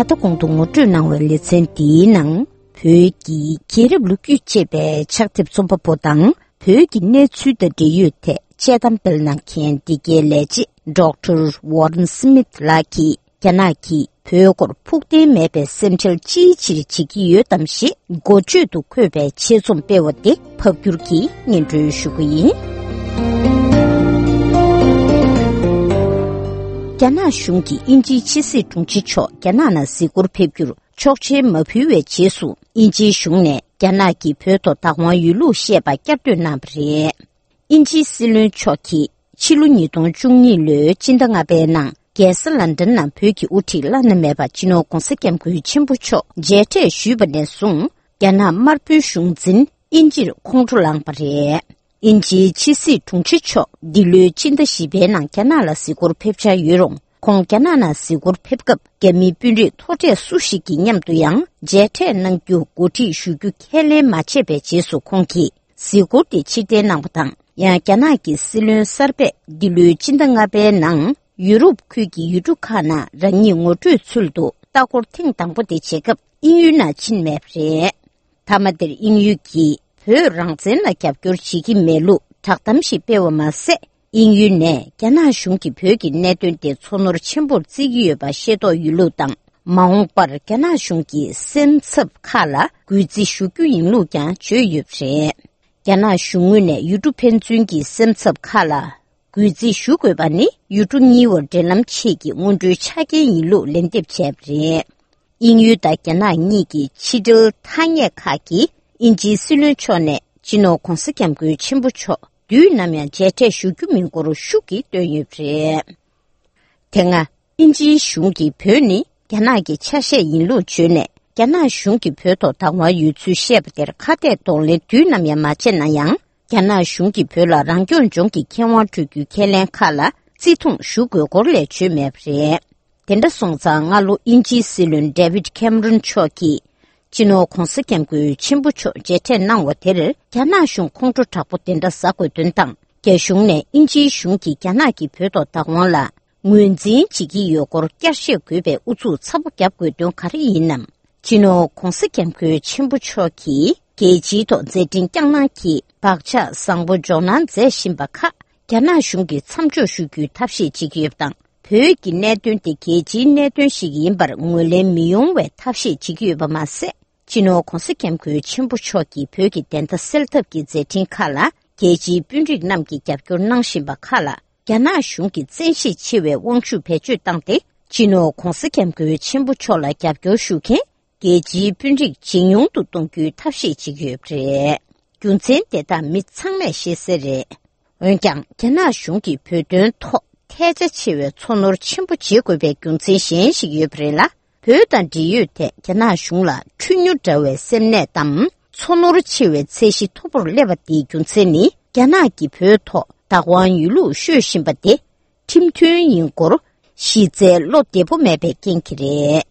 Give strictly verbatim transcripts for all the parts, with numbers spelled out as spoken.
ད་གོང་དུ་ངོ་སྤྲོད་གནང་བའི་ལེ་ཚན་འདིའི་ནང་། བོད་ཀྱི་རྒྱལ་རབས་ལོ་རྒྱུས་ཅེས་པའི་ཕྱག་དེབ་རྩོམ་པ་པོ་དང་། བོད་ཀྱི་གནས་ཚུལ་དང་འབྲེལ་ཡོད་ཐད་དཔྱད་གཏམ་སྤེལ་གནང་མཁན་འདི་གའི་ལས་བྱེད་Doctor Warren Smith ལགས་ཀྱིས། རྒྱ་ནག་གིས་བོད་སྐོར་ཕུགས་བརྟན་མེད་པའི་སེམས་ཁྲལ་ཅིའི་ཕྱིར་བྱེད་ཀྱི་ཡོད་དམ་ཞེས་འགོ་བརྗོད་དུ་འཁོད་པའི་ཆེད་རྩོམ་སྤེལ་བ་དེ་ཕབ་བསྒྱུར་གྱིས་སྙན་སྒྲོན་ཞུ་གི་ཡིན། རྒྱ་ནག་གཞུང་གིས་དབྱིན་ཇིའི་ཕྱི་སྲིད་དྲུང་ཆེ་མཆོག་རྒྱ་ནག་ནང་གཟིགས་སྐོར་ཕེབས་རྒྱུར་ཆོག་མཆན་མ་ཕུལ་བའི་རྗེས་སུ། དབྱིན་ཇིའི་གཞུང་ནས་རྒྱ་ནག་གིས་བོད་ཐོག་བདག་དབང་ཡོད་ལུགས་བཤད་པ་བསྐྱར་ཟློས་གནང་བ་རེད། དབྱིན་ཇིའི་སྲིད་བློན་མཆོག་གིས་ཕྱི་ལོ་ཉིས་སྟོང་བཅུ་གཉིས་ལོའི་སྤྱི་ཟླ་ལྔ་པའི་ནང་རྒྱལ་ས་ལན་ཌན་ནང་བོད་ཀྱི་དབུ་ཁྲིད་བླ་ན་མེད་པ་སྤྱི་ནོར་༧གོང་ས་༧སྐྱབས་མགོན་ཆེན་པོ་མཆོག་མཇལ་འཕྲད་ཞུས་པ་ནས་བཟུང་། རྒྱ་ནག་དམར་པོའི་གཞུང་འཛིན་དབྱིན་ཇིར་ཁོང་ཁྲོ་ལངས་པ་རེད། དབྱིན་ཇིའི་ཕྱི་སྲིད་དྲུང་ཆེ་མཆོག་འདི་ལོའི་སྤྱི་ཟླ་བཞི་པའི་ནང་རྒྱ་ནག་ལ་གཟིགས་སྐོར་ཕེབས་འཆར་ཡོད་རུང་། ཁོང་རྒྱ་ནག་ནང་གཟིགས་སྐོར་ཕེབས་སྐབས། རྒྱ་མིའི་དཔོན་རིགས་མཐོ་གྲས་སུ་ཞིག་གི་མཉམ་དུ་ཡང་མཇལ་འཕྲད་གནང་རྒྱུ་གོ་སྒྲིག་ཞུ་རྒྱུ་ཁས་ལེན་མ་བྱས་པའི་རྗེས་སུ། ཁོང་གིས་གཟིགས་སྐོར་དེ་ཕྱིར་འཐེན་གནང་བ་དང་། ཡང་རྒྱ་ནག་གི་སྲིད་བློན་གསར་པས་འདི་ལོའི་སྤྱི་ཟླ་ལྔ་པའི་ནང་ཡུ་རོབ་ཁུལ་གྱི་ཡུལ་གྲུ་ཁག་ནང་རང་ཉིད་ངོ་སྤྲོད་ཚུལ་དུ་ལྟ་སྐོར་ཐེངས་དང་པོ་དེ་བྱེད་སྐབས་དབྱིན་ཡུལ་ནང་ཕྱིན་མེད་པ་རེད། མཐའ་མ་དེར་དབྱིན་ཡུལ་གྱིས་བོད་རང་བཙན་ལ་རྒྱབ་སྐྱོར་བྱེད་ཀྱི་མེད་ལུགས་བསྒྲགས་གཏམ་ཞིག་སྤེལ་བ་མ་ཟད། དབྱིན་ཡུལ་ནས་རྒྱ་ནག་གཞུང་གིས་བོད་ཀྱི་གནད་དོན་དེ་ཚོར་སྣང་ཆེན་པོར་བརྩི་གི་ཡོད་པ་ཤེས་རྟོགས་ཡོད་ལུགས་དང་། མ་འོངས་པར་རྒྱ་ནག་གཞུང་གི་སེམས་འཚབ་ཁག་ལ་གུས་བརྩི་ཞུ་རྒྱུ་ཡིན་ལུགས་ཀྱང་བརྗོད་ཡོད་པ་རེད། རྒྱ་ནག་གཞུང་ངོས་ནས་ཡུལ་གྲུ་ཕན་ཚུན་གྱི་སེམས་འཚབ་ཁག་ལ་གུས་བརྩི་ཞུ་དགོས་པ་ནི་ཡུལ་གྲུ་གཉིས་བར་འབྲེལ་ལམ་ཆེད་ཀྱི་སྔོན་འགྲོའི་ཆ་རྐྱེན་ཡིན་ལུགས་ལན་འདེབས་བྱས་པ་རེད། དབྱིན་ཡུལ་དང་རྒྱ་ནག་གཉིས་ཀྱི་ཕྱི་འབྲེལ་ཐ་སྙད་ཁག་གིས་དབྱིན་ཇིའི་སྲིད་བློན་མཆོག་ནས་སྤྱི་ནོར་༧གོང་ས་༧སྐྱབས་མགོན་ཆེན་པོ་མཆོག་དུས་ནམ་ཡང་མཇལ་འཕྲད་ཞུ་རྒྱུ་མིན་སྐོར་ཤུགས་ཀྱིས་བཏོན་ཡོད་པ་རེད། དེ་སྔ་དབྱིན་ཇིའི་གཞུང་གིས་བོད་ནི་རྒྱ་ནག་གི་ཆ་ཤས་ཡིན་ལུགས་བརྗོད་ནས། རྒྱ་ནག་གཞུང་གིས་བོད་ཐོག་བདག་དབང་ཡོད་ཚུལ་བཤད་པ་དེར་ཁ་གཏད་གདོང་ལེན་དུས་ནམ་ཡང་མ་བྱས་ན་ཡང་། རྒྱ་ནག་གཞུང་གིས་བོད་ལ་རང་སྐྱོང་ལྗོངས་ཀྱི་ཁེ་དབང་སྤྲོད་རྒྱུའི་ཁས་ལེན་ཁག་ལ་བརྩི་མཐོང་ཞུ་དགོས་སྐོར་ལས་བརྗོད་མེད་པ་རེད། དེ་འདྲ་སོང་ཙང་། སྔ་ལོ་དབྱིན་ཇིའི་སྲིད་བློན་David Cameron་མཆོག་གིས་སྤྱི་ནོར་༧གོང་ས་༧སྐྱབས་མགོན་ཆེན་པོ་མཆོག་མཇལ་འཕྲད་གནང་བ་དེར་རྒྱ་ནག་གཞུང་ཁོང་ཁྲོ་དྲག་པོ་དེ་འདྲ་ཟ་དགོས་དོན་དང་། རྒྱ་གཞུང་ནས་དབྱིན་ཇིའི་གཞུང་གིས་རྒྱ་ནག་གིས་བོད་ཐོག་བདག་དབང་ལ་ངོས་འཛིན་བྱེད་ཀྱི་ཡོད་སྐོར་བསྐྱར་བཤད་དགོས་པའི་ཨུ་ཚུགས་ཚ་པོ་རྒྱབ་དགོས་དོན་ག་རེ་ཡིན་ནམ། སྤྱི་ནོར་༧གོང་ས་༧སྐྱབས་མགོན་ཆེན་པོ་མཆོག་གིས་རྒྱལ་སྤྱིའི་ཐོག་མཛད་འཕྲིན་བསྐྱངས་གནང་གིས་བག་ཆགས་བཟང་པོ་འཇོག་གནང་མཛད་བཞིན་པ་ཁག་རྒྱ་ནག་གཞུང་གིས་མཚམས་འཇོག་ཞུ་རྒྱུའི་ཐབས་ཤེས་བྱེད་ཀྱི་ཡོད་པ་དང་། བོད་ཀྱི་གནད་དོན་དེ་རྒྱལ་སྤྱིའི་གནད་དོན་ཞིག་ཡིན་པར་ངོས་ལེན་མི་ཡོང་བའི་ཐབས་ཤེས་བྱེད་ཀྱི་ཡོད་པ་མ་ཟད། སྤྱི་ནོར་༧གོང་ས་༧སྐྱབས་མགོན་ཆེན་པོ་མཆོག་གིས་བོད་ཀྱི་བདེན་མཐའ་སེལ་ཐབས་ཀྱི་མཛད་འཕྲིན་ཁག་ལ་རྒྱལ་སྤྱིའི་དཔོན་རིགས་རྣམས་ཀྱིས་རྒྱབ་སྐྱོར་གནང་བཞིན་པ་ཁག་ལ། རྒྱ་ནག་གཞུང་གིས་བཙན་ཤེད་ཆེ་བའི་དབང་ཤུགས་བེད་སྤྱོད་བཏང་སྟེ། སྤྱི་ནོར་༧གོང་ས་༧སྐྱབས་མགོན་ཆེན་པོ་མཆོག་ལ་རྒྱབ་སྐྱོར་ཞུ་མཁན་རྒྱལ་སྤྱིའི་དཔོན་རིགས་ཇེ་ཉུང་དུ་གཏོང་རྒྱུའི་ཐབས་ཤེས་བྱེད་ཀྱི་ཡོད་པ་རེད། རྒྱུ་མཚན་དེ་དག་མི་ཚང་མས་ཤེས་གསལ་རེད། འོན་ཀྱང་། རྒྱ་ནག་གཞུང་གིས་བོད་དོན་ཐོག་ཐལ་ཆ་ཆེ་བའི་ཚོར་སྣང་ཆེན་པོ་བྱེད་དགོས་པའི་རྒྱུ་མཚན་གཞན་ཞིག་ཡོད་པ་རེད་ལ། བོད་དང་འབྲེལ་ཡོད་ཐད་རྒྱ་ནག་གཞུང་ལ་འཁྲུལ་ཉོ་འདྲ་བའི་སེམས་ནད་དམ་ཚོར་སྣང་ཆེ་བའི་ཚད་གཞི་མཐོ་པོར་སླེབས་པ་དེའི་རྒྱུ་མཚན་ནི། རྒྱ་ནག་གིས་བོད་ཐོག་བདག་དབང་ཡོད་ལུགས་ཤོད་བཞིན་པ་དེ་ཁྲིམས་མཐུན་ཡིན་སྐོར་གཞི་རྩའི་བློ་བདེ་པོ་མེད་པའི་རྐྱེན་གྱིས་རེད།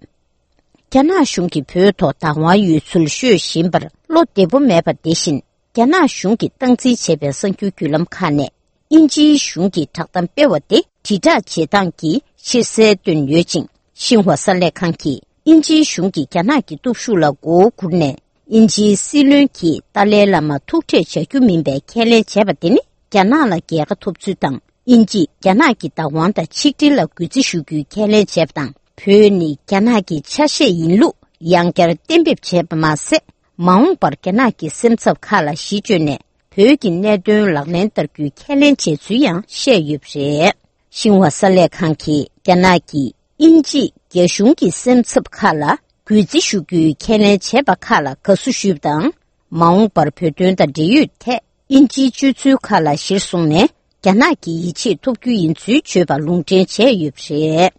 རྒྱ་ནག་གཞུང་གིས་བོད་ཐོག་བདག་དབང་ཡོད་ཚུལ་ཤོད་བཞིན་པར་བློ་བདེ་པོ་མེད་པ་དེ་བཞིན། རྒྱ་ནག་གཞུང་གིས་སྟངས་འཛིན་བྱས་པའི་གསར་འགྱུར་བརྒྱུད་ལམ་ཁག་ནས། དབྱིན་ཇིའི་གཞུང་གིས་བསྒྲགས་གཏམ་སྤེལ་བ་དེ་དྲིལ་བསྒྲགས་བྱེད་སྟངས་ཀྱི་ཕྱིར་གསལ་བཏོན་ཡོད་ཅིང་། ཤིན་ཧྭ་གསར་ལས་ཁང་གིས་དབྱིན་ཇིའི་གཞུང་གིས་རྒྱ་ནག་གི་སྟོབས་ཤུགས་ལ་མགོ་བོ་སྒུར་ནས། དབྱིན་ཇིའི་སྲིད་བློན་གྱིས་ཏཱ་ལའི་བླ་མར་ཐུག་འཕྲད་བྱ་རྒྱུ་མིན་པའི་ཁས་ལེན་བྱས་པ་དེ་ནི། རྒྱ་ནག་ལ་རྒྱལ་ཁ་ཐོབ་ཚུལ་དང་། དབྱིན་ཇིས་རྒྱ་ནག་གི་བདག་དབང་དང་ཆིག་སྒྲིལ་ལ་གུས་བརྩི་ཞུ་རྒྱུའི་ཁས་ལེན་བྱས་པ་དང་། བོད་ནི་རྒྱ་ནག་གི་ཆ་ཤས་ཡིན་ལུགས་ཡང་བསྐྱར་གཏན་འབེབས་བྱས་པ་མ་ཟད། མ་འོངས་པར་རྒྱ་ནག་གི་སེམས་འཚབ་ཁག་ལ་གཞི་བཅོལ་ནས། བོད་ཀྱི་གནད་དོན་ལག་ལེན་བསྟར་རྒྱུའི་ཁས་ལེན་བྱས་ཚུལ་ཡང་བཤད་ཡོད་པ་རེད། ཤིན་ཧྭ་གསར་ལས་ཁང་གིས་རྒྱ་ནག་གིས་དབྱིན་ཇིས་རྒྱ་གཞུང་གི་སེམས་འཚབ་ཁག་ལ་གུས་བརྩི་ཞུ་རྒྱུའི་ཁས་ལེན་བྱས་པ་ཁག་ལ་དགའ་བསུ་ཞུས་པ་དང་། མ་འོངས་པར་བོད་དོན་དང་འབྲེལ་ཡོད་ཐད་དབྱིན་ཇིའི་སྤྱོད་ཚུལ་ཁག་ལ་གཞིར་བཟུང་ནས། རྒྱ་ནག་གི་ཡིད་ཆེས་ཐོབ་རྒྱུ་ཡིན་ཚུལ་བརྗོད་པ་ལུང་འདྲེན་བྱས་ཡོད་པ་རེད།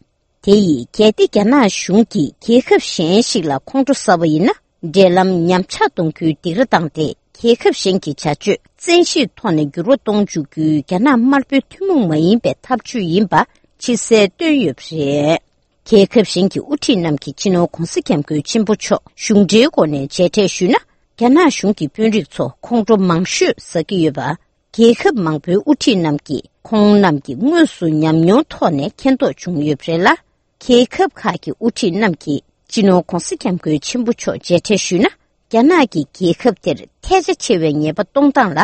དེ་ཡིས་གལ་ཏེ་རྒྱ་ནག་གཞུང་གིས་རྒྱལ་ཁབ་གཞན་ཞིག་ལ་ཁོང་ཁྲོ་ཟ་བ་ཡིན་ན། འབྲེལ་ལམ་ཉམས་ཆག་གཏོང་རྒྱུའི་སྡིགས་ར་བཏང་སྟེ། རྒྱལ་ཁབ་གཞན་གྱི་བྱ་སྤྱོད་བཙན་ཤེད་ཐོག་ནས་འགྱུར་བ་གཏོང་འཇུག་རྒྱུའི་རྒྱ་ནག་དམར་པོའི་ཐུན་མོང་མ་ཡིན་པའི་ཐབས་ཇུས་ཡིན་པ་ཕྱིར་གསལ་བཏོན་ཡོད་པ་རེད། རྒྱལ་ཁབ་གཞན་གྱི་དབུ་ཁྲིད་རྣམས་ཀྱིས་སྤྱི་ནོར་༧གོང་ས་༧སྐྱབས་མགོན་ཆེན་པོ་མཆོག་གཞུང་འབྲེལ་སྒོ་ནས་མཇལ་འཕྲད་ཞུས་ན། རྒྱ་ནག་གཞུང་གི་དཔོན་རིགས་ཚོ་ཁོང་ཁྲོ་མང་ཤོས་ཟ་གི་ཡོད་པ། རྒྱལ་ཁབ་མང་པོའི་དབུ་ཁྲིད་རྣམས་ཀྱིས་ཁོང་རྣམས་ཀྱི་དངོས་སུ་ཉམས་མྱོང་ཐོག་ནས་མཁྱེན་རྟོགས་བྱུང་ཡོད་པ་རེད་ལ། རྒྱལ་ཁབ་ཁག་གི་དབུ་ཁྲིད་རྣམས་ཀྱིས་ སྤྱི་ནོར་༧གོང་ས་༧སྐྱབས་མགོན་ཆེན་པོ་མཆོག་མཇལ་འཕྲད་ཞུས་ན། རྒྱ་ནག་གིས་རྒྱལ་ཁབ་དེར་ཐལ་ཆ་ཆེ་བའི་ཉེས་པ་གཏོང་སྟངས་ལ།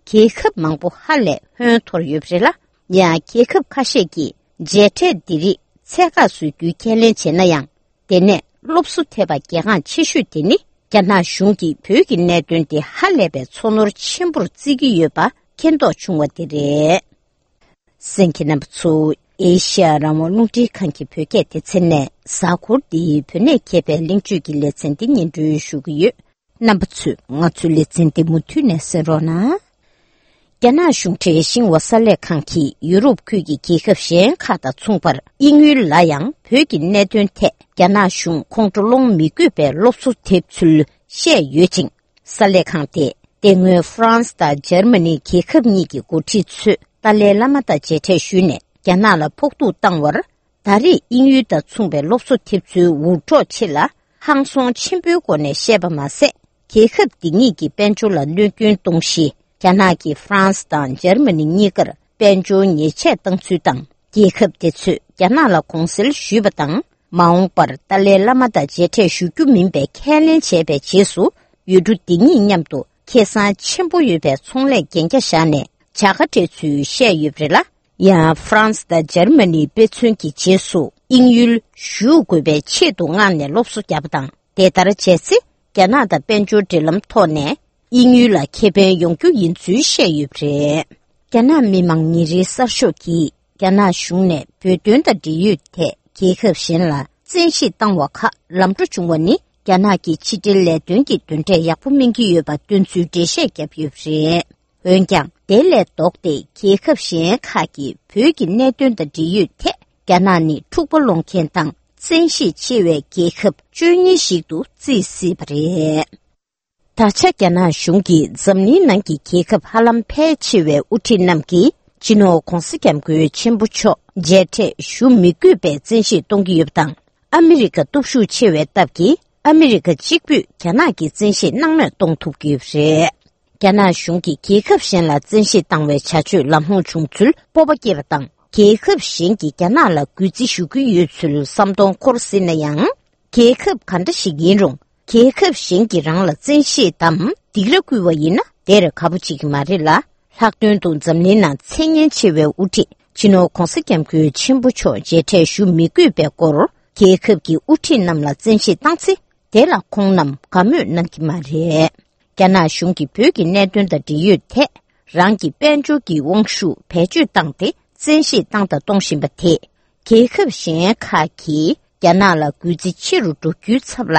རྒྱལ་ཁབ་མང་པོ་ཧ་ལས་ཧོན་འཐོར་ཡོད་པ་རེད་ལ། ཡང་རྒྱལ་ཁབ་ཁ་ཤས་ཀྱིས་མཇལ་འཕྲད་འདི་རིགས་ཚད་བཀག་བཟོ་རྒྱུའི་ཁས་ལེན་བྱས་ན་ཡང་། དེ་ནས་སློབ་གསོ་ཐེབས་པ་གལ་འགངས་ཆེ་ཤོས་དེ་ནི། རྒྱ་ནག་གཞུང་གིས་བོད་ཀྱི་གནད་དོན་དེ་ཧ་ལས་པའི་ཚོར་སྣང་ཆེན་པོར་བརྩི་གི་ཡོད་པ་མཁྱེན་རྟོགས་བྱུང་བ་དེ་རེད། གསན་མཁན་རྣམ་པ་ཚོ། ཨེ་ཤ་ཡ་རང་དབང་རླུང་འཕྲིན་ཁང་གི་བོད་སྐད་སྡེ་ཚན་ནས་གཟའ་འཁོར་འདིའི་བོད་ནས་གྱེས་པའི་གླེང་བརྗོད་ཀྱི་ལེ་ཚན་འདི་སྙན་སྒྲོན་ཞུ་གི་ཡོད། རྣམ་པ་ཚོས་ང་ཚོའི་ལེ་ཚན་འདི་མུ་མཐུད་ནས་གསན་རོགས་གནང་། རྒྱ་ནག་གཞུང་འབྲེལ་ཤིན་ཧྭ་གསར་ལས་ཁང་གིས་ཡུ་རོབ་ཁུལ་གྱི་རྒྱལ་ཁབ་གཞན་ཁག་དང་མཚུངས་པར། དབྱིན་ཡུལ་ལ་ཡང་བོད་ཀྱི་གནད་དོན་ཐད་རྒྱ་ནག་གཞུང་ཁོང་ཁྲོ་སློང་མི་དགོས་པའི་སློབ་གསོ་ཐེབས་ཚུལ་བཤད་ཡོད་ཅིང་། གསར་ལས་ཁང་དེས་དེ་སྔོན་ཧྥ་རན་སི་དང་འཇར་མ་ནི་རྒྱལ་ཁབ་གཉིས་ཀྱི་འགོ་ཁྲིད་ཚོས་ཏཱ་ལའི་བླ་མ་དང་མཇལ་འཕྲད་ཞུས་ནས་རྒྱ་ནག་ལ་ཕོག་ཐུག་བཏང་བར། ད་རེས་དབྱིན་ཡུལ་དང་མཚུངས་པའི་སློབ་གསོ་ཐེབས་ཚུལ་འུར་སྒྲོག་ཆེ་ལ་ཧང་སང་ཆེན་པོའི་སྒོ་ནས་བཤད་པ་མ་ཟད། རྒྱལ་ཁབ་འདི་གཉིས་ཀྱི་དཔལ་འབྱོར་ལ་གནོད་སྐྱོན་གཏོང་གཞི། རྒྱ་ནག་གིས་ཧྥ་རན་སི་དང་འཇར་མ་ནི་གཉིས་ཀར་དཔལ་འབྱོར་ཉེས་ཆད་བཏང་ཚུལ་དང་། རྒྱལ་ཁབ་དེ་ཚོས་རྒྱ་ནག་ལ་དགོངས་སེལ་ཞུས་པ་དང་། མ་འོངས་པར་ཏཱ་ལའི་བླ་མ་དང་མཇལ་འཕྲད་ཞུ་རྒྱུ་མིན་པའི་ཁས་ལེན་བྱས་པའི་རྗེས་སུ། ཡུལ་གྲུ་འདི་གཉིས་མཉམ་དུ་ཁེ་བཟང་ཆེན་པོ་ཡོད་པའི་ཚོང་ལས་གན་རྒྱ་བཞག་ནས་བྱ་དགའ་སྤྲད་ཚུལ་བཤད་ཡོད་པ་རེད་ལ། ཡང་ཧྥ་རན་སི་དང་འཇར་མ་ནིའི་དཔེ་མཚོན་གྱི་རྗེས་སུ་དབྱིན་ཡུལ་ཞུགས་དགོས་པའི་ཆེད་དུ་མངགས་ནས་སློབ་གསོ་བརྒྱབ་པ་དང་། དེ་ལྟར་བྱས་ཚེ། རྒྱ་ནག་དང་དཔལ་འབྱོར་འབྲེལ་ལམ་ཐོག་ནས་དབྱིན་ཡུལ་ལ་ཁེ་ཕན་ཡོང་རྒྱུ་ཡིན་ཚུལ་བཤད་ཡོད་པ་རེད། རྒྱ་ནག་མི་དམངས་ཉིན་རེའི་གསར་ཤོག་གིས། རྒྱ་ནག་གཞུང་ནས་བོད་དོན་དང་འབྲེལ་ཡོད་ཐད་རྒྱལ་ཁབ་གཞན་ལ་བཙན་ཤེད་བཏང་བ་ཁག་ལམ་འགྲོ་བྱུང་བ་ནི། རྒྱ་ནག་གི་ཕྱི་འབྲེལ་ལས་དོན་གྱི་འདོན་འབྲས་ཡག་པོ་སྨིན་གྱི་ཡོད་པ་སྟོན་ཚུལ་འགྲེལ་བཤད་བརྒྱབ་ཡོད་པ་རེད། འོན་ཀྱང་། དེ་ལས་ལྡོག་སྟེ། རྒྱལ་ཁབ་གཞན་ཁག་གིས་བོད་ཀྱི་གནད་དོན་དང་འབྲེལ་ཡོད་ཐད། རྒྱ་ནག་ནི་འཁྲུག་པ་སློང་མཁན་དང་། བཙན་ཤེད་ཆེ་བའི་རྒྱལ་ཁབ་བཅུ་གཉིས་ཤིག་ཏུ་བརྩི་སྲིད་པ་རེད། ད་ཆ་རྒྱ་ནག་གཞུང་གིས་འཛམ་གླིང་ནང་གི་རྒྱལ་ཁབ་ཧ་ལམ་ཕལ་ཆེ་བའི་དབུ་ཁྲིད་རྣམས་ཀྱིས། སྤྱི་ནོར་༧གོང་ས་༧སྐྱབས་མགོན་ཆེན་པོ་མཆོག་མཇལ་འཕྲད་ཞུ་མི་དགོས་པའི་བཙན་ཤེད་གཏོང་གི་ཡོད་པ་དང་། ཨ་མི་རི་ཀ་སྟོབས་ཤུགས་ཆེ་བའི་སྟབས་ཀྱིས། ཨ་མི་རི་ཀ་གཅིག་པུས་རྒྱ་ནག་གི་བཙན་ཤེད་སྣང་མེད་གཏོང་ཐུབ་ཀྱི་ཡོད་པ་རེད། རྒྱ་ནག་གཞུང་གིས་རྒྱལ་ཁབ་གཞན་ལ་བཙན་ཤེད་བཏང་བའི་བྱ་སྤྱོད་ལམ་ལྷོང་བྱུང་ཚུལ་སྤོབས་པ་སྐྱེས་པ་དང་། རྒྱལ་ཁབ་གཞན་གྱིས་རྒྱ་ནག་ལ་གུས་བརྩི་ཞུ་གི་ཡོད་ཚུལ་བསམ་མཐོང་འཁོར་སྲིད་ན་ཡང་། རྒྱལ་ཁབ་ག་འདྲ་ཞིག་ཡིན་རུང་། རྒྱལ་ཁབ་གཞན་གྱིས་རང་ལ་བཙན་ཤེད་དམ་སྡིགས་ར་བསྐུལ་བ་ཡིན་ན། དེར་ཁ་པོ་བྱེད་ཀྱི་མ་རེད་ལ། ལྷག་དོན་དུ་འཛམ་གླིང་ནང་མཚན་སྙན་ཆེ་བའི་དབུ་ཁྲིད་སྤྱི་ནོར་༧གོང་ས་༧སྐྱབས་མགོན་ཆེན་པོ་མཆོག་མཇལ་འཕྲད་ཞུ་མི་དགོས་པའི་སྐོར། རྒྱལ་ཁབ་ཀྱི་དབུ་ཁྲིད་རྣམས་ལ་བཙན་ཤེད་བཏང་ཚེ། དེ་ལ་ཁོང་རྣམས་དགའ་མོས་གནང་གི་མ་རེད། རྒྱ་ནག་གཞུང་གིས་བོད་ཀྱི་གནད་དོན་དང་འབྲེལ་ཡོད་ཐད། རང་གི་དཔལ་འབྱོར་གྱི་དབང་ཤུགས་བེད་སྤྱོད་བཏང་སྟེ། བཙན་ཤེད་བཏང་དང་གཏོང་བཞིན་པ་དེས། རྒྱལ་ཁབ་གཞན་ཁག་གིས་རྒྱ་ནག་ལ་གུས་བརྩི་ཆེ་རུ་འགྲོ་རྒྱུའི་ཚབ་ལ།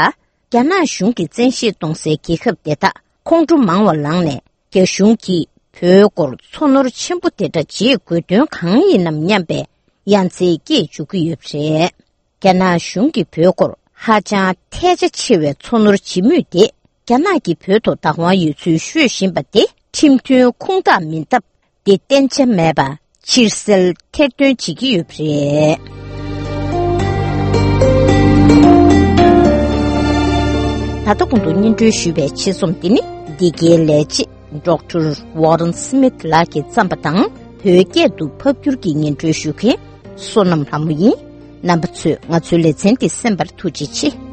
རྒྱ་ནག་གཞུང་གིས་བཙན་ཤེད་གཏོང་སའི་རྒྱལ་ཁབ་དེ་དག་ཁོང་ཁྲོ་མང་བ་ལངས་ནས། རྒྱ་གཞུང་གིས་བོད་སྐོར་ཚོར་སྣང་ཆེན་པོ་དེ་འདྲ་བྱེད་དགོས་དོན་གང་ཡིན་ནམ་སྙམ་པའི་ཡ་མཚན་སྐྱེས་འཇུག་གི་ཡོད་པ་རེད། རྒྱ་ནག་གཞུང་གིས་བོད་སྐོར་ཧ་ཅང་ཐལ་ཆ་ཆེ་བའི་ཚོར་སྣང་བྱེད་མུས་དེ། རྒྱ་ནག་གིས་བོད་དུ་བདག་དབང་ཡོད་ཚུལ་ཤོད་བཞིན་པ་དེ་ཁྲིམས་མཐུན་ཁུངས་དག་མིན་སྟབས། དེ་བརྟན་ཆ་མེད་པ་ཕྱིར་གསལ་ཐེར་འདོན་བྱེད་ཀྱི་ཡོད་པ་རེད། ད་ལྟ་གོང་དུ་སྙན་སྒྲོན་ཞུས་པའི་ཆེད་རྩོམ་འདི་ནི། འདི་གའི་ལས་བྱེད་ཌོག་ཊར་ཝོ་རན་སི་མིད་ལགས་ཀྱིས་བརྩམས་པ་དང་། བོད་སྐད་དུ་ཕབ་བསྒྱུར་གྱིས་སྙན་སྒྲོན་ཞུ་མཁན་བསོད་ནམས་ལྷ་མོ་ཡིན། རྣམ་པ་ཚོས་ང་ཚོའི་ལེ་ཚན་འདི་གསན་པར་ཐུགས་རྗེ་ཆེ།